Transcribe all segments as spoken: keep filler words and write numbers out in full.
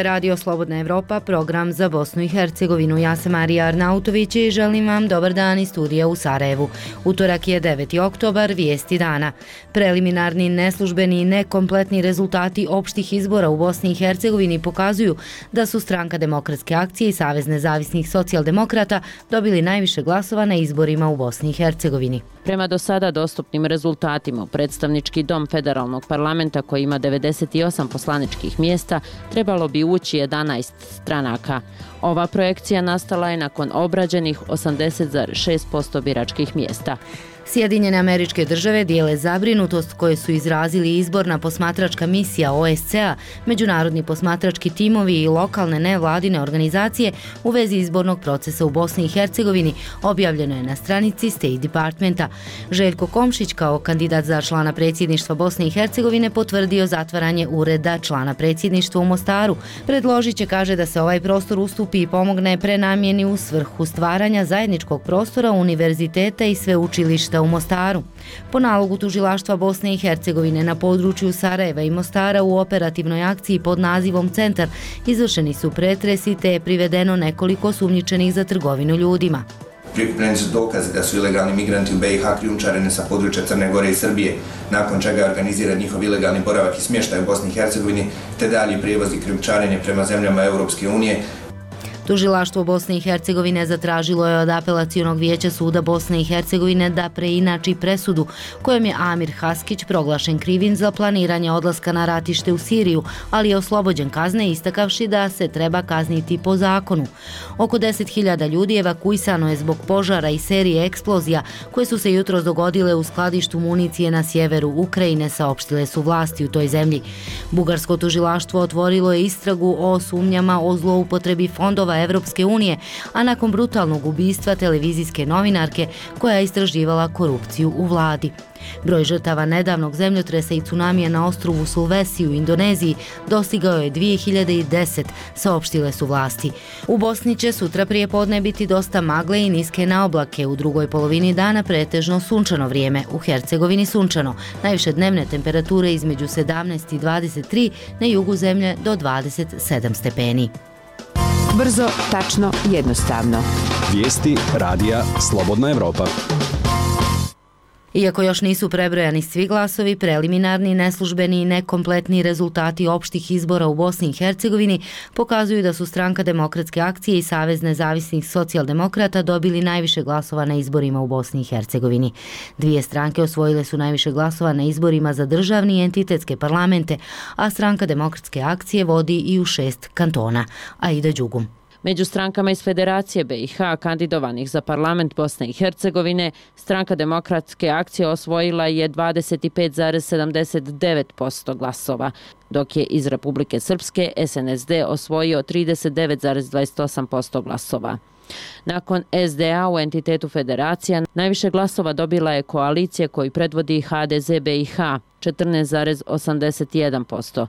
je Radio Slobodna Evropa, program za Bosnu i Hercegovinu. Ja sam Marija Arnautović i želim vam dobar dan iz studija u Sarajevu. Utorak je deveti oktobar, vijesti dana. Preliminarni, neslužbeni i nekompletni rezultati opštih izbora u Bosni i Hercegovini pokazuju da su Stranka demokratske akcije i Savez nezavisnih socijaldemokrata dobili najviše glasova na izborima u Bosni i Hercegovini. Prema do sada dostupnim rezultatima, predstavnički dom federalnog parlamenta koji ima devedeset osam poslaničkih mjesta trebalo bi ući jedanaest stranaka. Ova projekcija nastala je nakon obrađenih osamdeset zarez šest posto biračkih mjesta. Sjedinjene Američke Države dijele zabrinutost koje su izrazili izborna posmatračka misija O S C E-a, međunarodni posmatrački timovi i lokalne nevladine organizacije u vezi izbornog procesa u Bosni i Hercegovini, objavljeno je na stranici State Departmenta. Željko Komšić kao kandidat za člana predsjedništva Bosne i Hercegovine potvrdio zatvaranje ureda člana predsjedništva u Mostaru. Predložit će, kaže, da se ovaj prostor ustupi i pomogne prenamjeni u svrhu stvaranja zajedničkog prostora univerziteta i sveučilišta u Mostaru. Po nalogu tužilaštva Bosne i Hercegovine na području Sarajeva i Mostara u operativnoj akciji pod nazivom Centar izvršeni su pretresi te je privedeno nekoliko sumnjičenih za trgovinu ljudima. Prikupljeni su dokazi da su ilegalni migranti u B i H krijumčareni sa područja Crne Gore i Srbije, nakon čega je organiziran njihov ilegalni boravak i smještaj u Bosni i Hercegovini, te dalji prijevoz i krijumčarenje prema zemljama Europske unije. Tužilaštvo Bosne i Hercegovine zatražilo je od Apelacionog vijeća suda Bosne i Hercegovine da preinači presudu kojom je Amir Haskić proglašen krivim za planiranje odlaska na ratište u Siriju, ali je oslobođen kazne istakavši da se treba kazniti po zakonu. Oko deset hiljada ljudi evakuisano je zbog požara i serije eksplozija koje su se jutros dogodile u skladištu municije na sjeveru Ukrajine, saopštile su vlasti u toj zemlji. Bugarsko tužilaštvo otvorilo je istragu o sumnjama o zloupotrebi fondova Evropske unije, a nakon brutalnog ubistva televizijske novinarke koja je istraživala korupciju u vladi. Broj žrtava nedavnog zemljotresa i tsunamija na ostrvu Sulvesi u Indoneziji dostigao je dvije hiljade deset, saopštile su vlasti. U Bosni će sutra prije podne biti dosta magle i niske naoblake, u drugoj polovini dana pretežno sunčano vrijeme, u Hercegovini sunčano, najviše dnevne temperature između sedamnaest i dvadeset tri, na jugu zemlje do dvadeset sedam stepeni. Brzo, tačno, jednostavno. Vijesti radija Slobodna Evropa. Iako još nisu prebrojani svi glasovi, preliminarni, neslužbeni i nekompletni rezultati opštih izbora u Bosni i Hercegovini pokazuju da su Stranka demokratske akcije i Savez nezavisnih socijaldemokrata dobili najviše glasova na izborima u Bosni i Hercegovini. Dvije stranke osvojile su najviše glasova na izborima za državni i entitetske parlamente, a Stranka demokratske akcije vodi i u šest kantona. Aida Đugum. Među strankama iz Federacije B i H kandidovanih za parlament Bosne i Hercegovine, Stranka demokratske akcije osvojila je dvadeset pet zarez sedamdeset devet posto glasova, dok je iz Republike Srpske S N S D osvojio trideset devet zarez dvadeset osam posto glasova. Nakon S D A u entitetu Federacija, najviše glasova dobila je koalicija koju predvodi H D Z B i H, četrnaest zarez osamdeset jedan posto.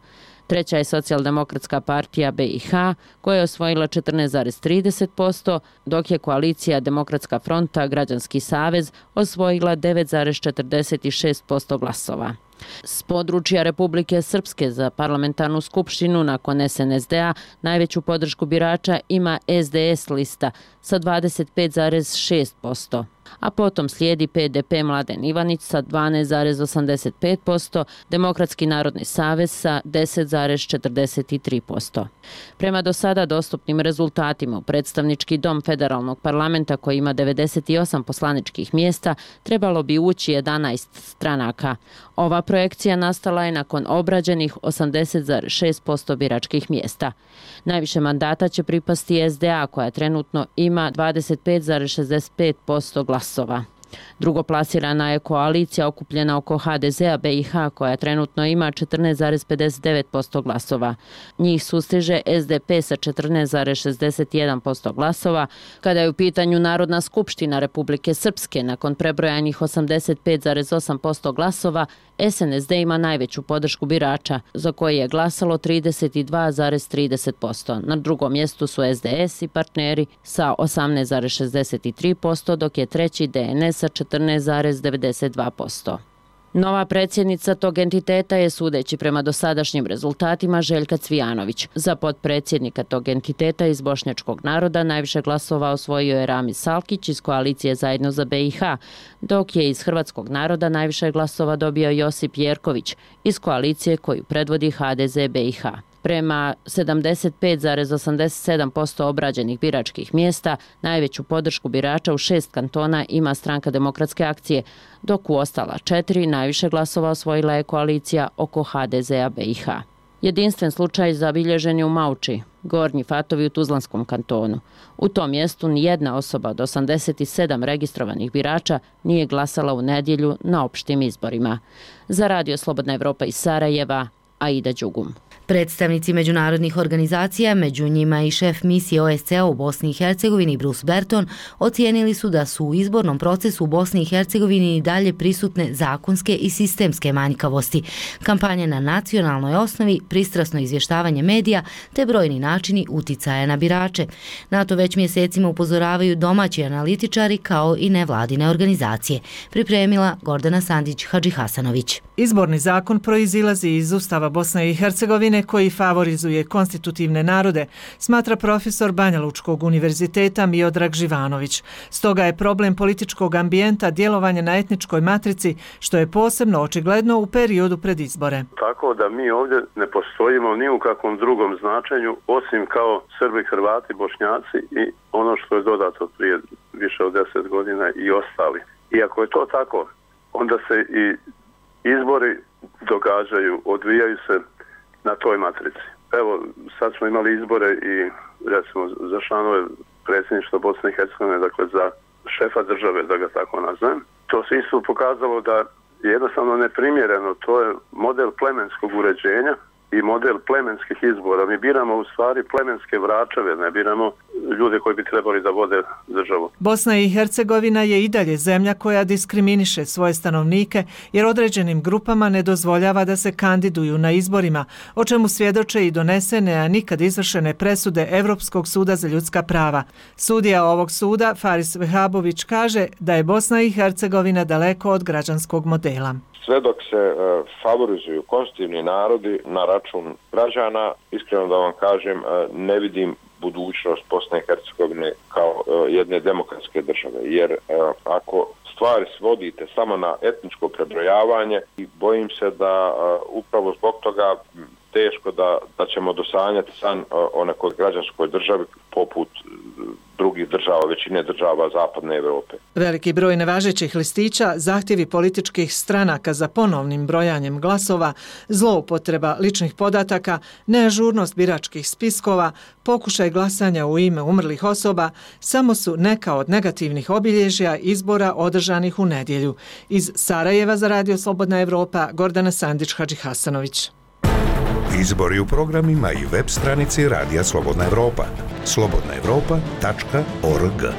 Treća je Socijaldemokratska partija B i H koja je osvojila četrnaest zarez trideset posto, dok je koalicija Demokratska fronta Građanski savez osvojila devet zarez četrdeset šest posto glasova. S područja Republike Srpske za parlamentarnu skupštinu nakon S N S D-a najveću podršku birača ima S D S lista sa dvadeset pet zarez šest posto. A potom slijedi P D P Mladen Ivanić sa dvanaest zarez osamdeset pet posto, Demokratski narodni savez sa deset zarez četrdeset tri posto. Prema do sada dostupnim rezultatima, predstavnički dom federalnog parlamenta koji ima devedeset osam poslaničkih mjesta trebalo bi ući jedanaest stranaka. Ova projekcija nastala je nakon obrađenih osamdeset zarez šest posto biračkih mjesta. Najviše mandata će pripasti S D A koja trenutno ima dvadeset pet zarez šezdeset pet posto glasova. Drugoplasirana je koalicija okupljena oko H D Z-a B i H koja trenutno ima četrnaest zarez pedeset devet posto glasova. Njih sustiže S D P sa četrnaest zarez šezdeset jedan posto glasova. Kada je u pitanju Narodna skupština Republike Srpske, nakon prebrojanih osamdeset pet zarez osam posto glasova, S N S D ima najveću podršku birača, za koje je glasalo trideset dva zarez trideset posto. Na drugom mjestu su S D S i partneri sa osamnaest zarez šezdeset tri posto, dok je treći D N S sa četrnaest zarez devedeset dva posto. Nova predsjednica tog entiteta je, sudeći prema dosadašnjim rezultatima, Željka Cvijanović. Za potpredsjednika tog entiteta iz bošnjačkog naroda najviše glasova osvojio je Ramiz Salkić iz koalicije Zajedno za B i H, dok je iz hrvatskog naroda najviše glasova dobio Josip Jerković iz koalicije koju predvodi H D Z B i H. Prema sedamdeset pet zarez osamdeset sedam posto obrađenih biračkih mjesta, najveću podršku birača u šest kantona ima Stranka demokratske akcije, dok u ostala četiri najviše glasova osvojila je koalicija oko H D Z-a B i H. Jedinstven slučaj zabilježen je u Mauči, Gornji Fatovi u Tuzlanskom kantonu. U tom mjestu nijedna osoba od osamdeset sedam registrovanih birača nije glasala u nedjelju na opštim izborima. Za Radio Slobodna Evropa iz Sarajeva, Aida Đugum. Predstavnici međunarodnih organizacija, među njima i šef misije O S C E u Bosni i Hercegovini Bruce Berton, ocijenili su da su u izbornom procesu u Bosni i Hercegovini i dalje prisutne zakonske i sistemske manjkavosti, kampanje na nacionalnoj osnovi, pristrasno izvještavanje medija te brojni načini uticaja na birače. Na to već mjesecima upozoravaju domaći analitičari kao i nevladine organizacije. Pripremila Gordana Sandić-Hadžihasanović. Izborni zakon proizilazi iz Ustava Bosne i Hercegovine koji favorizuje konstitutivne narode, smatra profesor Banjalučkog univerziteta Miodrag Živanović. Stoga je problem političkog ambijenta djelovanje na etničkoj matrici, što je posebno očigledno u periodu pred izbore. Tako da mi ovdje ne postojimo ni u kakvom drugom značenju, osim kao Srbi, Hrvati, Bošnjaci i ono što je dodato prije više od deset godina i ostali. I ako je to tako, onda se i izbori događaju, odvijaju se na toj matrici. Evo, sad smo imali izbore i recimo za članove predsjedništva Bosne i Hercegovine, dakle za šefa države, da ga tako nazvem. To se isto pokazalo da je jednostavno neprimjereno. To je model plemenskog uređenja i model plemenskih izbora. Mi biramo u stvari plemenske vračeve, ne biramo ljude koji bi trebali da vode državu. Bosna i Hercegovina je i dalje zemlja koja diskriminiše svoje stanovnike jer određenim grupama ne dozvoljava da se kandiduju na izborima, o čemu svjedoče i donesene, a nikad izvršene presude Evropskog suda za ljudska prava. Sudija ovog suda, Faris Vehabović, kaže da je Bosna i Hercegovina daleko od građanskog modela. Sve dok se e, favorizuju konstitutivni narodi na račun građana, iskreno da vam kažem, e, ne vidim budućnost Bosne i Hercegovine kao e, jedne demokratske države. Jer e, ako stvari svodite samo na etničko prebrojavanje, i bojim se da e, upravo zbog toga teško da, da ćemo dosanjati san e, o nekoj građanskoj državi poput drugih država, većine država Zapadne Evrope. Veliki broj nevažećih listića, zahtjevi političkih stranaka za ponovnim brojanjem glasova, zloupotreba ličnih podataka, neažurnost biračkih spiskova, pokušaj glasanja u ime umrlih osoba, samo su neka od negativnih obilježja izbora održanih u nedjelju. Iz Sarajeva za Radio Slobodna Evropa, Gordana Sandić-Hadžihasanović. Izbori u programima i web stranici Radija Slobodna Evropa. slobodna evropa tačka org.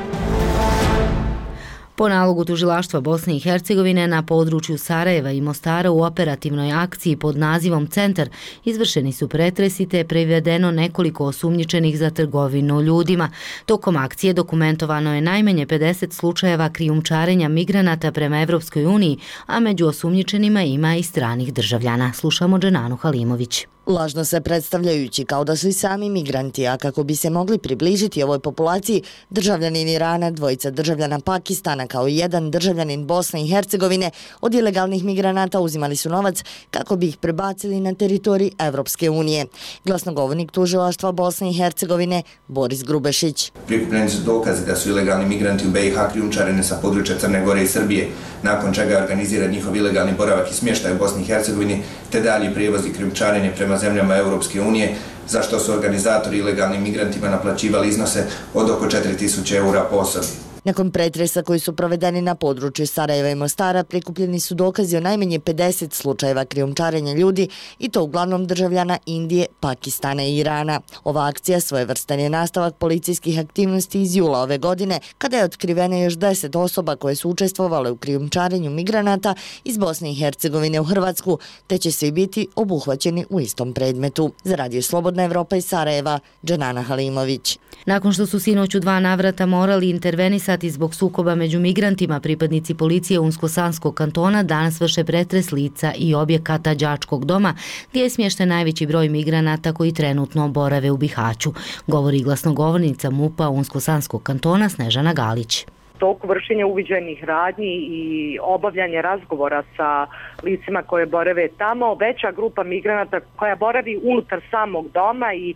Po nalogu tužilaštva Bosne i Hercegovine na području Sarajeva i Mostara u operativnoj akciji pod nazivom Centar izvršeni su pretresi te je privedeno nekoliko osumnjičenih za trgovinu ljudima. Tokom akcije dokumentovano je najmanje pedeset slučajeva krijumčarenja migranata prema Evropskoj uniji, a među osumnjičenima ima i stranih državljana. Slušamo Dženanu Halimović. Lažno se predstavljajući kao da su i sami migranti, a kako bi se mogli približiti ovoj populaciji, državljanin Irana, dvojica državljana Pakistana kao i jedan državljanin Bosne i Hercegovine od ilegalnih migranata uzimali su novac kako bi ih prebacili na teritorij Evropske unije. Glasnogovornik tužilaštva Bosne i Hercegovine Boris Grubešić. Prikupljeni su dokazi da su ilegalni migranti u B i H krijumčareni sa područja Crne Gore i Srbije, nakon čega je organiziran njihov ilegalni boravak i smještaj u Bosni i Hercegovini, te dalji prijevoz i krijumčarenje prema zemljama Europske unije, za što su organizatori ilegalnim migrantima naplaćivali iznose od oko četiri tisuće eura po osobi. Nakon pretresa koji su provedeni na području Sarajeva i Mostara, prikupljeni su dokazi o najmanje pedeset slučajeva krijumčarenja ljudi i to uglavnom državljana Indije, Pakistana i Irana. Ova akcija svojevrstan je nastavak policijskih aktivnosti iz jula ove godine, kada je otkriveno još deset osoba koje su učestvovale u krijumčarenju migranata iz Bosne i Hercegovine u Hrvatsku, te će svi biti obuhvaćeni u istom predmetu. Za Radio Slobodna Evropa iz Sarajeva, Dženana Halimović. Nakon što su sinoć u dva navrata morali intervenisati sati zbog sukoba među migrantima pripadnici policije Unsko-Sanskog kantona danas vrše pretres lica i objekata đačkog doma gdje je smješten najveći broj migranata koji trenutno borave u Bihaću, govori glasnogovornica MUP-a Unsko-Sanskog kantona Snežana Galić. Toku vršenja uviđajnih radnji i obavljanja razgovora sa licima koje borave tamo, veća grupa migranata koja boravi unutar samog doma i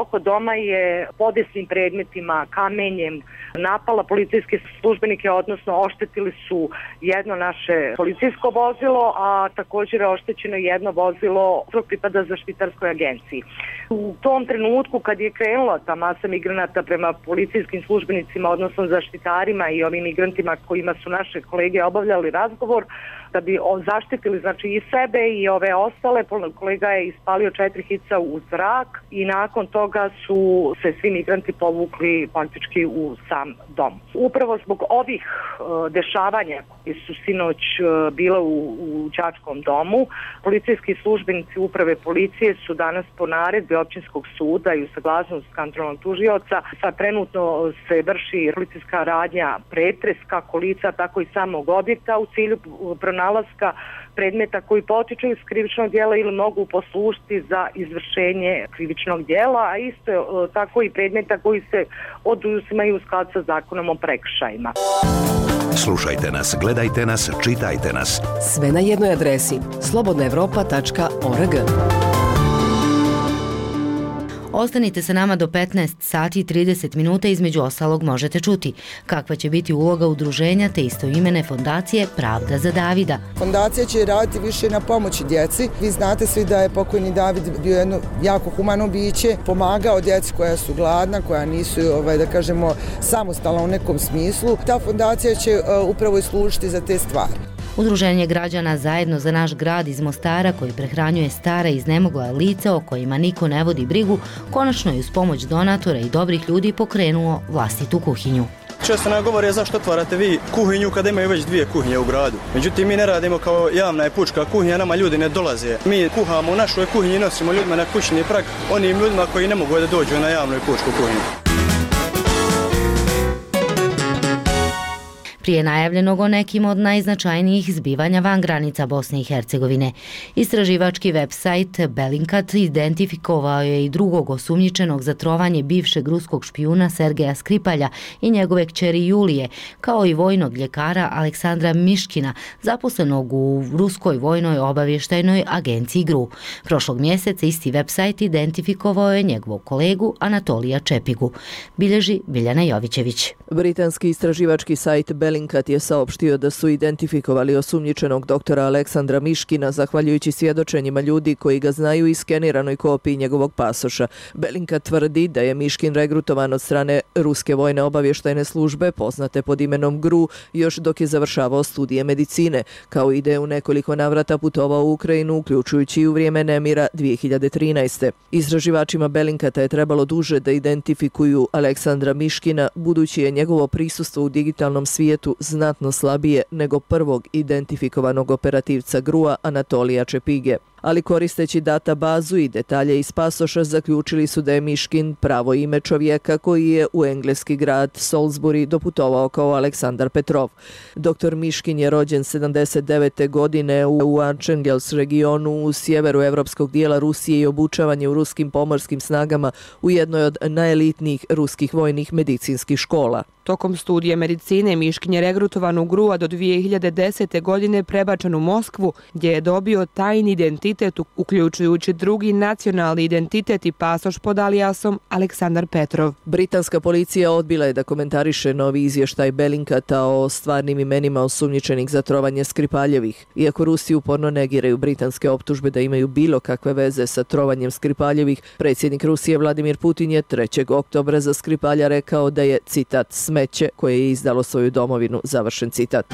oko doma je podesnim predmetima, kamenjem napala policijske službenike, odnosno oštetili su jedno naše policijsko vozilo, a također je oštećeno jedno vozilo koje pripada zaštitarskoj agenciji. U tom trenutku kad je krenula ta masa migranata prema policijskim službenicima, odnosno zaštitarima i ovim migrantima kojima su naše kolege obavljali razgovor, da bi zaštitili znači i sebe i ove ostale, kolega je ispalio četiri hica u zrak i nakon toga su se svi migranti povukli praktički u sam dom. Upravo zbog ovih uh, dešavanja koji su sinoć uh, bile u, u đačkom domu, policijski službenici uprave policije su danas po naredbi općinskog suda i u saglasnost kantonalnog tužioca, sad trenutno se vrši policijska radnja pretres kako lica, tako i samog objekta u cilju pronalaska predmeta koji potiču iz krivičnog djela ili mogu poslužiti za izvršenje krivičnog djela, a isto je tako i predmeta koji se oduzimaju u skladu sa zakonom o prekršajima. Slušajte nas, gledajte nas, čitajte nas. Sve na jednoj adresi slobodna evropa tačka org. Ostanite sa nama do petnaest sati i trideset minuta, između ostalog možete čuti kakva će biti uloga udruženja te istoimene fondacije Pravda za Davida. Fondacija će raditi više na pomoći djeci. Vi znate svi da je pokojni David bio jedno jako humano biće, pomagao djeci koja su gladna, koja nisu, ovaj, da kažemo, samostalna u nekom smislu. Ta fondacija će uh, upravo i služiti za te stvari. Udruženje građana Zajedno za naš grad iz Mostara, koji prehranjuje stara i iznemogla lica o kojima niko ne vodi brigu, konačno je uz pomoć donatora i dobrih ljudi pokrenuo vlastitu kuhinju. Često nam govore zašto otvarate vi kuhinju kada imaju već dvije kuhinje u gradu. Međutim, mi ne radimo kao javna i pučka kuhinja, nama ljudi ne dolaze. Mi kuhamo u našoj kuhinji i nosimo ljudima na kućni prag, onim ljudima koji ne mogu da dođu na javnu i pučku kuhinju. Prije najavljenog o nekim od najznačajnijih zbivanja van granica Bosne i Hercegovine. Istraživački website Bellingcat identifikovao je i drugog osumnjičenog za trovanje bivšeg ruskog špijuna Sergeja Skripalja i njegove kćeri Julije, kao i vojnog ljekara Aleksandra Miškina, zaposlenog u ruskoj vojnoj obavještajnoj agenciji G R U. Prošlog mjeseca isti website identifikovao je njegovog kolegu Anatolija Čepigu. Bilježi Biljana Jovićević. Britanski istraživački sajt Bellingcat je saopštio da su identifikovali osumnjičenog doktora Aleksandra Miškina zahvaljujući svjedočenjima ljudi koji ga znaju i skeniranoj kopiji njegovog pasoša. Bellingcat tvrdi da je Miškin regrutovan od strane ruske vojne obavještajne službe poznate pod imenom G R U još dok je završavao studije medicine, kao i da je u nekoliko navrata putovao u Ukrajinu, uključujući i u vrijeme nemira dvije hiljade trinaeste. Istraživačima Bellingcata je trebalo duže da identifikuju Aleksandra Miškina, budući je njegovo prisustvo u digitalnom svijetu znatno slabije nego prvog identifikovanog operativca G R U-a Anatolija Čepige. Ali koristeći databazu i detalje iz pasoša zaključili su da je Miškin pravo ime čovjeka koji je u engleski grad Salisbury doputovao kao Aleksandar Petrov. Doktor Miškin je rođen sedamdeset devete godine u Archangels regionu u sjeveru evropskog dijela Rusije i obučavan je u ruskim pomorskim snagama u jednoj od najelitnijih ruskih vojnih medicinskih škola. Tokom studije medicine Miškin je regrutovan u G R U, a do dvije hiljade desete. godine prebačen u Moskvu, gdje je dobio tajni identitet, uključujući drugi nacionalni identitet i pasoš pod alijasom Aleksandar Petrov. Britanska policija odbila je da komentariše novi izvještaj Bellingcata o stvarnim imenima osumnjičenih za trovanje Skripaljevih. Iako Rusi uporno negiraju britanske optužbe da imaju bilo kakve veze sa trovanjem Skripaljevih, predsjednik Rusije Vladimir Putin je trećeg oktobra za Skripalja rekao da je, citat, smeće koje je izdalo svoju domovinu, završen citat.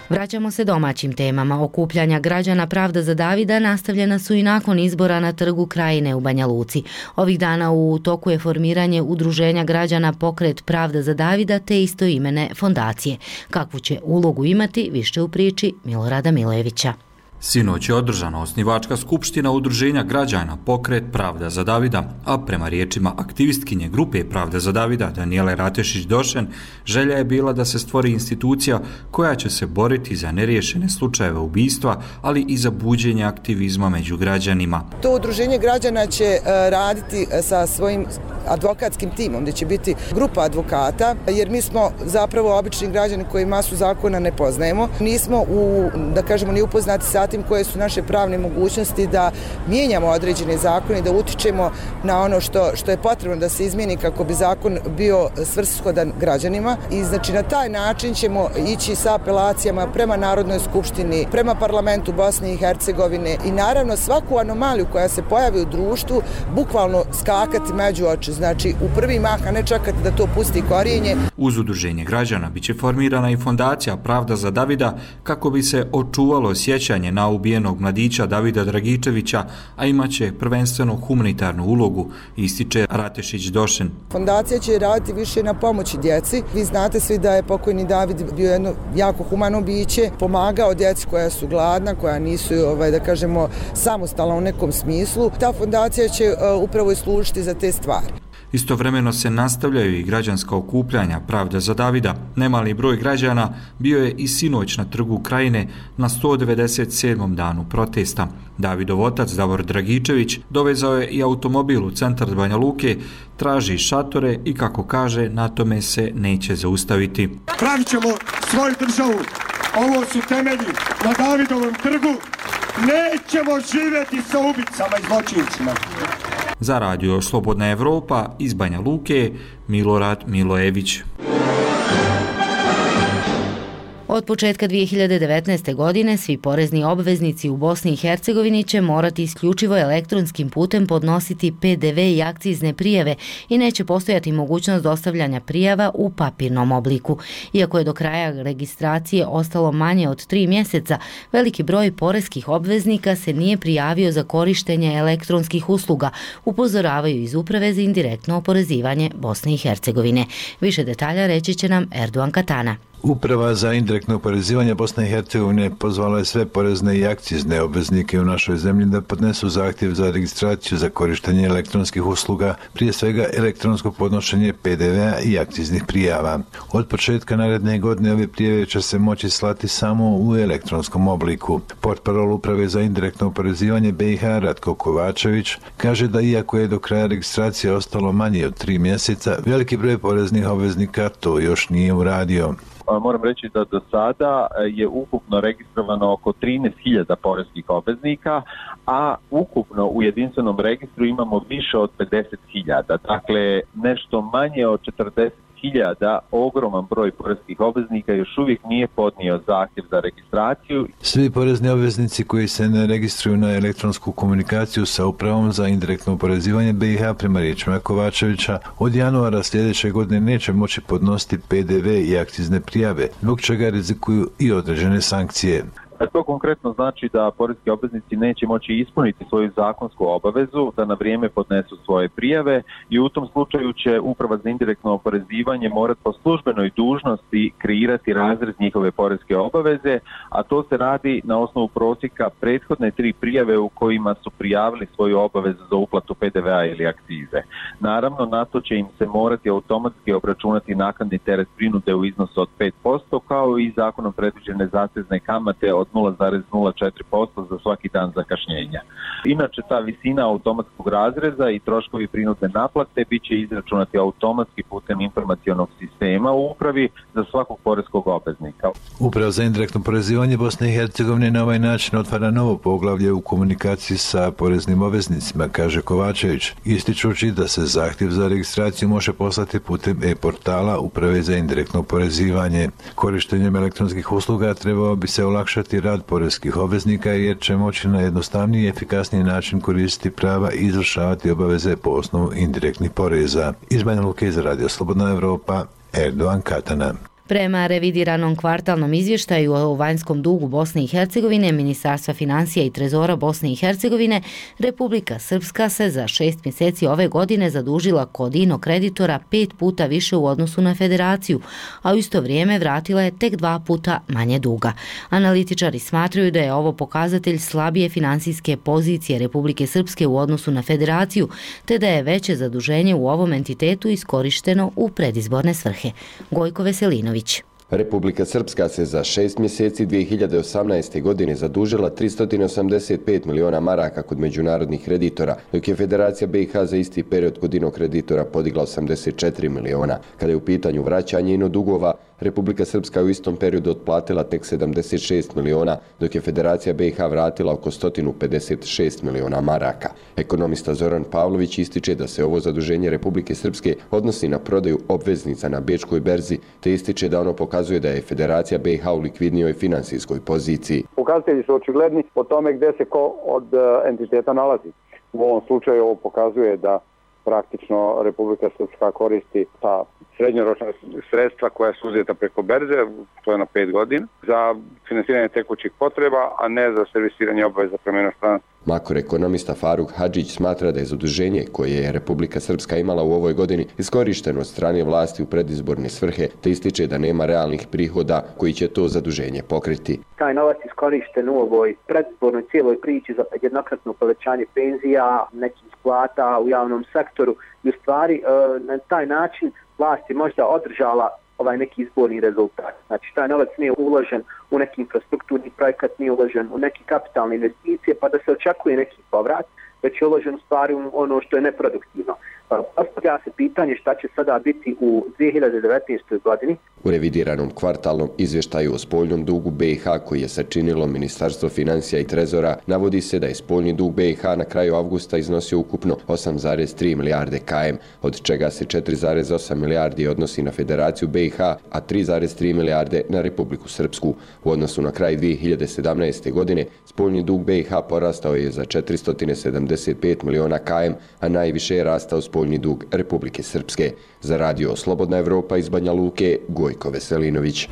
Vraćamo se domaćim temama. Okupljanja građana Pravda za Davida nastavljena su i nakon izbora na Trgu Krajine u Banja Luci. Ovih dana u toku je formiranje udruženja građana Pokret Pravda za Davida te istoimene fondacije. Kakvu će ulogu imati, više u priči Milorada Milojevića. Sinoć je održana osnivačka skupština Udruženja građana Pokret Pravda za Davida, a prema riječima aktivistkinje grupe Pravda za Davida Danijele Ratešić-Došen, želja je bila da se stvori institucija koja će se boriti za neriješene slučajeve ubistva, ali i za buđenje aktivizma među građanima. To Udruženje građana će raditi sa svojim advokatskim timom, gdje će biti grupa advokata, jer mi smo zapravo obični građani koji masu zakona ne poznajemo. Nismo u, da kažemo, ni upoznati sa tim koje su naše pravne mogućnosti da mijenjamo određene zakone i da utičemo na ono što, što je potrebno da se izmijeni kako bi zakon bio svrsishodan građanima. I znači na taj način ćemo ići sa apelacijama prema Narodnoj skupštini, prema parlamentu Bosne i Hercegovine i naravno svaku anomaliju koja se pojavi u društvu bukvalno skakati među oči. Znači u prvi mah, a ne čekati da to pusti korijenje. Uz Udruženje građana biće formirana i fondacija Pravda za Davida kako bi se očuvalo sjećanje na ubijenog mladića Davida Dragičevića, a imaće prvenstveno humanitarnu ulogu, ističe Ratešić-Došen. Fondacija će raditi više na pomoći djeci. Vi znate svi da je pokojni David bio jedno jako humano biće, pomagao djeci koja su gladna, koja nisu, ovaj, da kažemo, samostalna u nekom smislu. Ta fondacija će uh, upravo i služiti za te stvari. Istovremeno se nastavljaju i građanska okupljanja Pravda za Davida. Nemali broj građana bio je i sinoć na Trgu Krajine na sto devedeset sedmom danu protesta. Davidov otac Davor Dragičević dovezao je i automobil u centar Banja Luke, traži šatore i, kako kaže, na tome se neće zaustaviti. Pravit ćemo svoju državu. Ovo su temelji na Davidovom trgu. Nećemo živjeti sa ubicama i zločincima. Za radio Slobodna Evropa iz Banja Luke, Milorad Milojević. Od početka dvije hiljade devetnaeste. godine svi porezni obveznici u Bosni i Hercegovini će morati isključivo elektronskim putem podnositi P D V i akcizne prijave i neće postojati mogućnost dostavljanja prijava u papirnom obliku. Iako je do kraja registracije ostalo manje od tri mjeseca, veliki broj poreskih obveznika se nije prijavio za korištenje elektronskih usluga, upozoravaju iz Uprave za indirektno oporezivanje Bosne i Hercegovine. Više detalja reći će nam Erdogan Katana. Uprava za indirektno oporezivanje Bosne i Hercegovine pozvala je sve porezne i akcizne obveznike u našoj zemlji da podnesu zahtjev za registraciju za korištenje elektronskih usluga, prije svega elektronsko podnošenje P D V-a i akciznih prijava. Od početka naredne godine ove prijave će se moći slati samo u elektronskom obliku. Portparol Uprave za indirektno oporezivanje B i H Ratko Kovačević kaže da iako je do kraja registracije ostalo manje od tri mjeseca, veliki broj poreznih obveznika to još nije uradio. Moram reći da do sada je ukupno registrovano oko trinaest hiljada poreskih obveznika, a ukupno u jedinstvenom registru imamo više od pedeset hiljada. Dakle, nešto manje od četrdeset hiljada, ogroman broj poreskih obveznika još uvijek nije podnio zahtjev za registraciju. Svi porezni obveznici koji se ne registruju na elektronsku komunikaciju sa Upravom za indirektno oporezivanje B i H prema riječima Kovačevića od januara sljedeće godine neće moći podnositi P D V i akcizne prijave, zbog čega rizikuju i određene sankcije. To konkretno znači da poreski obveznici neće moći ispuniti svoju zakonsku obavezu da na vrijeme podnesu svoje prijave i u tom slučaju će Uprava za indirektno oporezivanje morati po službenoj dužnosti kreirati razrez njihove poreske obaveze, a to se radi na osnovu prosjeka prethodne tri prijave u kojima su prijavili svoju obavezu za uplatu P D V-a ili akcize. Naravno, na to će im se morati automatski obračunati naknadni teret prinude u iznosu od pet posto, kao i zakonom predviđene zatezne kamate od nula zarez nula četiri posto za svaki dan zakašnjenja. Inače, ta visina automatskog razreza i troškovi prinudne naplate bit će izračunati automatski putem informacionog sistema u upravi za svakog poreskog obveznika. Uprava za indirektno oporezivanje Bosne i Hercegovine na ovaj način otvara novo poglavlje u komunikaciji sa poreznim obveznicima, kaže Kovačević, ističući da se zahtjev za registraciju može poslati putem e-portala Uprave za indirektno oporezivanje. Korištenjem elektronskih usluga trebao bi se olakšati rad poreskih obveznika jer će moći na jednostavniji i efikasniji način koristiti prava i izvršavati obaveze po osnovu indirektnih poreza. Iz Banja Luke za radio Slobodna Evropa, Erdogan Katana. Prema revidiranom kvartalnom izvještaju o vanjskom dugu Bosne i Hercegovine, Ministarstva financija i trezora Bosne i Hercegovine, Republika Srpska se za šest mjeseci ove godine zadužila kod ino kreditora pet puta više u odnosu na federaciju, a u isto vrijeme vratila je tek dva puta manje duga. Analitičari smatraju da je ovo pokazatelj slabije financijske pozicije Republike Srpske u odnosu na federaciju, te da je veće zaduženje u ovom entitetu iskorišteno u predizborne svrhe. Gojko Veselinović. Republika Srpska se za šest mjeseci dvije hiljade osamnaeste. godine zadužila tristo osamdeset pet miliona maraka kod međunarodnih kreditora, dok je Federacija B i H za isti period kod ino kreditora podigla osamdeset četiri miliona. Kada je u pitanju vraćanje ino dugova, Republika Srpska u istom periodu otplatila tek sedamdeset šest miliona, dok je Federacija B i H vratila oko sto pedeset šest miliona maraka. Ekonomista Zoran Pavlović ističe da se ovo zaduženje Republike Srpske odnosi na prodaju obveznica na bečkoj berzi, te ističe da ono pokazuje da je Federacija B i H u likvidnijoj finansijskoj poziciji. Pokazatelji su očigledni po tome gdje se ko od entiteta nalazi. U ovom slučaju ovo pokazuje da praktično Republika Srpska koristi ta srednjoročna sredstva koja su uzeta preko berze, to je na pet godina, za finansiranje tekućih potreba, a ne za servisiranje obaveza prema inostranstvu. Makroekonomista Faruk Hadžić smatra da je zaduženje koje je Republika Srpska imala u ovoj godini iskorišteno od strane vlasti u predizborne svrhe, te ističe da nema realnih prihoda koji će to zaduženje pokriti. Taj novac iskorišten u ovoj predizbornoj cijeloj priči za jednokratno povećanje penzija, nekih plata u javnom sektoru i u stvari na taj način vlast je možda održala ovaj neki izborni rezultat. Znači, taj novac nije uložen u neki infrastrukturni projekat, nije uložen u neke kapitalne investicije, pa da se očekuje neki povrat, već je uložen u stvari u ono što je neproduktivno. Postavlja se pitanje šta će sada biti u dvije hiljade devetnaestoj. godini. U revidiranom kvartalnom izvještaju o spoljnom dugu B i H koji je sačinilo Ministarstvo financija i trezora, navodi se da je spoljni dug B i H na kraju avgusta iznosio ukupno osam zarez tri milijarde km, od čega se četiri zarez osam milijardi odnosi na Federaciju B i H, a tri zarez tri milijarde na Republiku Srpsku. U odnosu na kraj dvije hiljade sedamnaeste. godine, spoljni dug B i H porastao je za četiristo sedamdeset pet miliona km, a najviše je rastao spoljni dug Republike Srpske. Za radio Slobodna Evropa iz Banja Luke, Gojko Veselinović.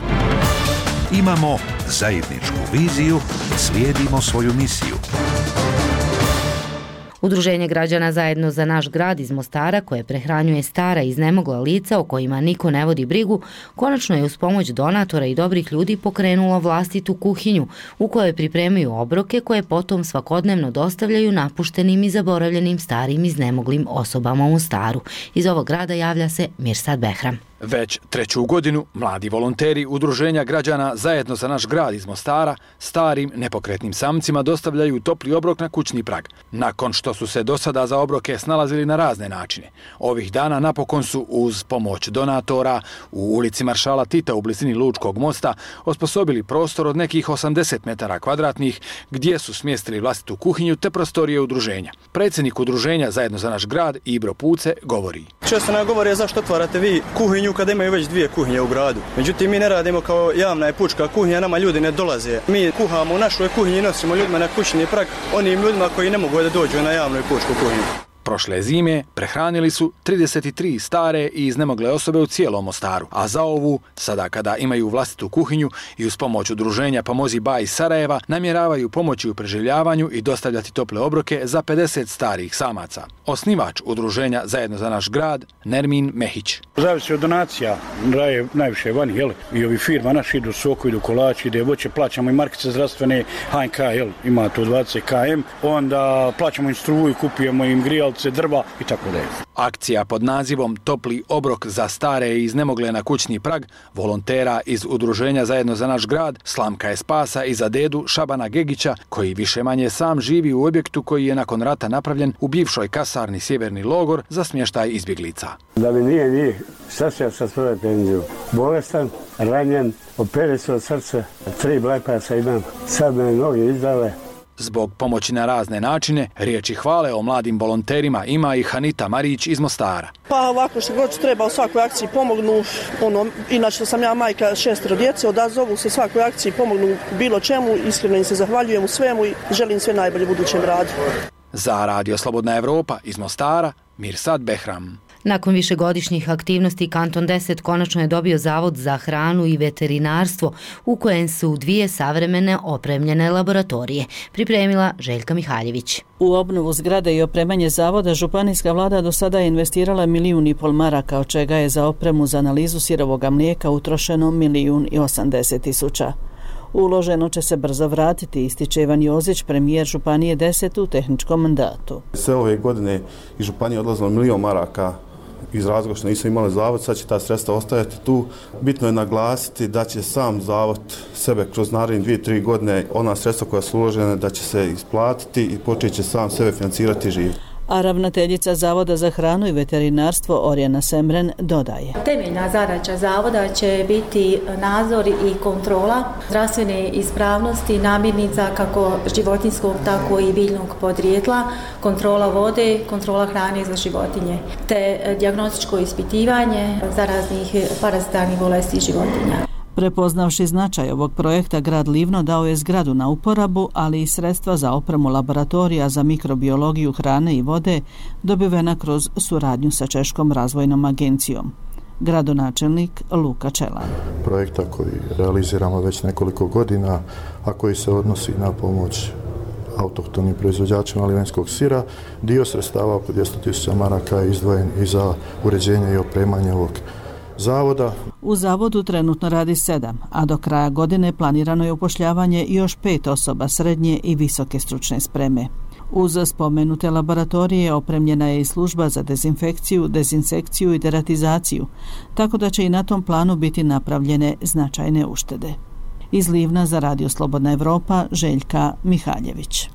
Imamo zajedničku viziju, slijedimo svoju misiju. Udruženje građana Zajedno za naš grad iz Mostara, koje prehranjuje stara i iznemogla lica o kojima niko ne vodi brigu, konačno je uz pomoć donatora i dobrih ljudi pokrenulo vlastitu kuhinju u kojoj pripremaju obroke koje potom svakodnevno dostavljaju napuštenim i zaboravljenim starim iznemoglim osobama u Mostaru. Iz ovog grada javlja se Mirsad Behram. Već treću godinu mladi volonteri Udruženja građana Zajedno za naš grad iz Mostara starim nepokretnim samcima dostavljaju topli obrok na kućni prag. Nakon što su se do sada za obroke snalazili na razne načine, ovih dana napokon su uz pomoć donatora u ulici Maršala Tita u blizini Lučkog mosta osposobili prostor od nekih osamdeset metara kvadratnih gdje su smjestili vlastitu kuhinju te prostorije udruženja. Predsjednik Udruženja Zajedno za naš grad Ibro Puce govori. Često nam govore zašto otvarate vi kuhinju kada imaju već dvije kuhinje u gradu. Međutim, mi ne radimo kao javna i pučka kuhinja, nama ljudi ne dolaze. Mi kuhamo u našoj kuhinji i nosimo ljudima na kućni prag, onim ljudima koji ne mogu da dođu na javnu i pučku kuhinju. Prošle zime prehranili su trideset tri stare i iznemogle osobe u cijelom Mostaru, a za ovu, sada kada imaju vlastitu kuhinju i uz pomoć udruženja Pomozi Ba iz Sarajeva, namjeravaju pomoći u preživljavanju i dostavljati tople obroke za pedeset starih samaca. Osnivač udruženja Zajedno za naš grad, Nermin Mehić. Zavisi od donacija, daje najviše vani, jel? I ovi firma naši idu soko, idu kolači, ide voće, plaćamo i markice zdravstvene, H N K, jel? Ima to dvadeset kilometara, onda plaćamo im struju, kupujemo im grijal, drva i tako dalje. Akcija pod nazivom Topli obrok za stare i iznemogle na kućni prag volontera iz Udruženja Zajedno za naš grad slamka je spasa i za dedu Šabana Gegića, koji više manje sam živi u objektu koji je nakon rata napravljen u bivšoj kasarni Sjeverni logor za smještaj izbjeglica. Da mi nije nije, sad ću ja sa svoje penziju. Bolestan, ranjen, opere se od srca, tri bypassa imam, sad me noge izdale. Zbog pomoći na razne načine, riječi hvale o mladim volonterima ima i Hanita Marić iz Mostara. Pa ovako što god treba u svakoj akciji pomognu, ono, inače sam ja majka šestero djece, odazovu se svakoj akciji, pomognu bilo čemu, iskreno im se zahvaljujem u svemu i želim sve najbolje budućem radu. Za radio Slobodna Evropa iz Mostara, Mirsad Behram. Nakon višegodišnjih aktivnosti, Kanton deset konačno je dobio Zavod za hranu i veterinarstvo u kojem su dvije savremene opremljene laboratorije, pripremila Željka Mihaljević. U obnovu zgrade i opremanje zavoda županijska vlada do sada je investirala milijun i pol maraka, od čega je za opremu za analizu sirovoga mlijeka utrošeno milijun i osamdeset tisuća. Uloženo će se brzo vratiti, ističe Ivan Jozić, premijer Županije deset u tehničkom mandatu. Sve ove godine iz Županije odlazilo milijon maraka iz razloga što nisu imali zavod, sad će ta sredstva ostajati tu. Bitno je naglasiti da će sam zavod sebe kroz naredne dvije, tri godine ona sredstva koja su uložene da će se isplatiti i počet će sam sebe financirati i živjeti. A ravnateljica Zavoda za hranu i veterinarstvo Orjana Semren dodaje. Temeljna zadaća zavoda će biti nadzor i kontrola zdravstvene ispravnosti namirnica kako životinjskog tako i biljnog podrijetla, kontrola vode, kontrola hrane za životinje, te dijagnostičko ispitivanje zaraznih parazitarnih bolesti životinja. Prepoznavši značaj ovog projekta, grad Livno dao je zgradu na uporabu, ali i sredstva za opremu laboratorija za mikrobiologiju hrane i vode dobivena kroz suradnju sa Češkom razvojnom agencijom. Gradonačelnik Luka Čelan. Projekta koji realiziramo već nekoliko godina, a koji se odnosi na pomoć autohtonim proizvođačima livenskog sira, dio sredstava oko dvjesto tisuća maraka je izdvojen i za uređenje i opremanje ovog zavoda. U zavodu trenutno radi sedam, a do kraja godine planirano je upošljavanje još pet osoba srednje i visoke stručne spreme. Uz spomenute laboratorije opremljena je i služba za dezinfekciju, dezinsekciju i deratizaciju, tako da će i na tom planu biti napravljene značajne uštede. Iz Livna za Radio Slobodna Evropa, Željka Mihaljević.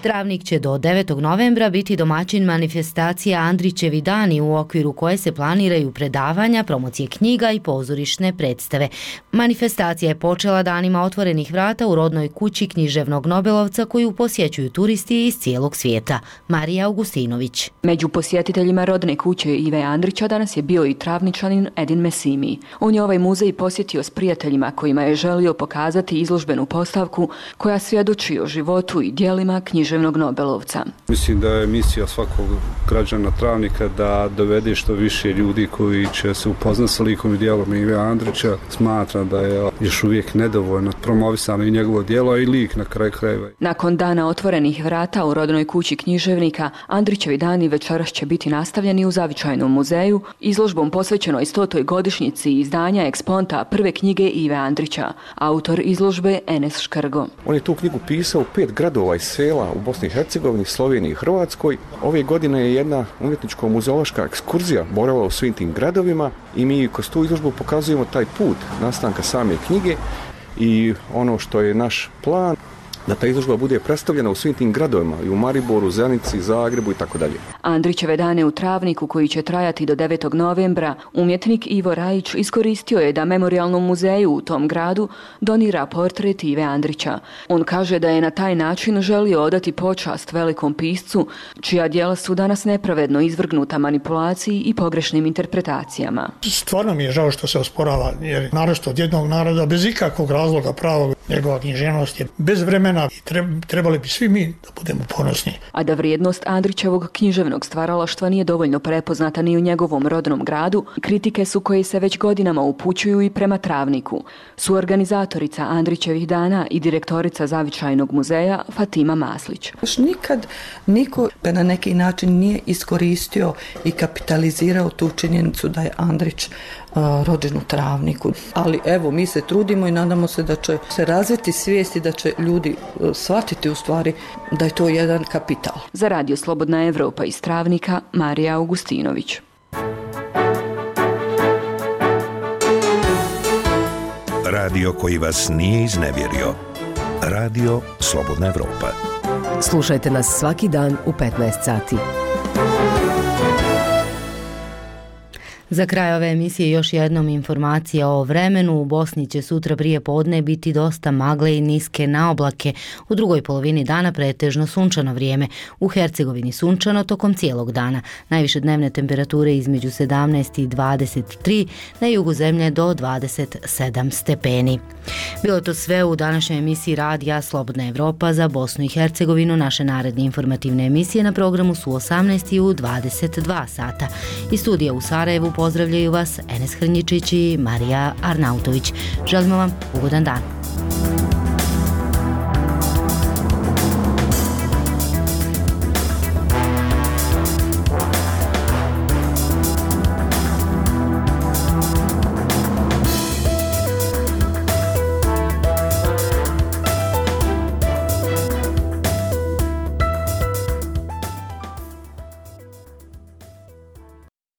Travnik će do devetog novembra biti domaćin manifestacija Andrićevi dani u okviru koje se planiraju predavanja, promocije knjiga i pozorišne predstave. Manifestacija je počela danima otvorenih vrata u rodnoj kući književnog nobelovca koju posjećuju turisti iz cijelog svijeta. Marija Augustinović. Među posjetiteljima rodne kuće Ive Andrića danas je bio i travničanin Edin Mesimi. On je ovaj muzej posjetio s prijateljima kojima je želio pokazati izložbenu postavku koja svjedoči o životu i djelima književnog nobelovca. Mislim da je misija svakog građana Travnika da dovede što više ljudi koji će se upoznati sa likom i djelom Ive Andrića. Smatram da je još uvijek nedovoljno promovisano i njegovo djelo i lik na kraju krajeva. Nakon dana otvorenih vrata u rodnoj kući književnika, Andrićevi dani večeras će biti nastavljeni u Zavičajnom muzeju izložbom posvećenoj stotoj godišnjici izdanja eksponta prve knjige Ive Andrića, autor izložbe Enes Škrgo. On je tu knjigu pisao u pet gradova i sela u Bosni i Hercegovini, Sloveniji i Hrvatskoj. Ove godine je jedna umjetničko-muzeološka ekskurzija boravila u svim tim gradovima i mi kroz tu izložbu pokazujemo taj put nastanka same knjige i ono što je naš plan da ta izložba bude predstavljena u svim tim gradovima, i u Mariboru, Zenici, Zagrebu i tako dalje. Andrićeve dane u Travniku, koji će trajati do devetog novembra, umjetnik Ivo Rajić iskoristio je da Memorijalnom muzeju u tom gradu donira portret Ive Andrića. On kaže da je na taj način želio odati počast velikom piscu, čija djela su danas nepravedno izvrgnuta manipulaciji i pogrešnim interpretacijama. Stvarno mi je žao što se osporava, jer naročito od jednog naroda bez ikakvog razloga pravog, njegova književnost je bez vremena i trebali bi svi mi da budemo ponosni. A da vrijednost Andrićevog književnog stvaralaštva nije dovoljno prepoznata ni u njegovom rodnom gradu, kritike su koje se već godinama upućuju i prema Travniku. Suorganizatorica Andrićevih dana i direktorica Zavičajnog muzeja Fatima Maslić. Još nikad niko na neki način nije iskoristio i kapitalizirao tu činjenicu da je Andrić uh, rođen u Travniku. Ali evo, mi se trudimo i nadamo se da će se razviti svijesti, da će ljudi uh, shvatiti u stvari da je to jedan kapital. Za Radio Slobodna Evropa iz Travnika, Marija Augustinović. Radio koji vas nije iznevjerio. Radio Slobodna Evropa. Slušajte nas svaki dan u petnaest sati. Za kraj ove emisije još jednom informacija o vremenu. U Bosni će sutra prije podne biti dosta magle i niske naoblake. U drugoj polovini dana pretežno sunčano vrijeme. U Hercegovini sunčano tokom cijelog dana. Najviše dnevne temperature između sedamnaest i dvadeset tri, na jugu zemlje do dvadeset sedam stepeni. Bilo je to sve u današnjoj emisiji radija Slobodna Evropa za Bosnu i Hercegovinu. Naše naredne informativne emisije na programu su u osamnaest i u dvadeset dva sata. Iz studija u Sarajevu pozdravljaju vas Enes Hrnjičić i Marija Arnautović. Želimo vam ugodan dan.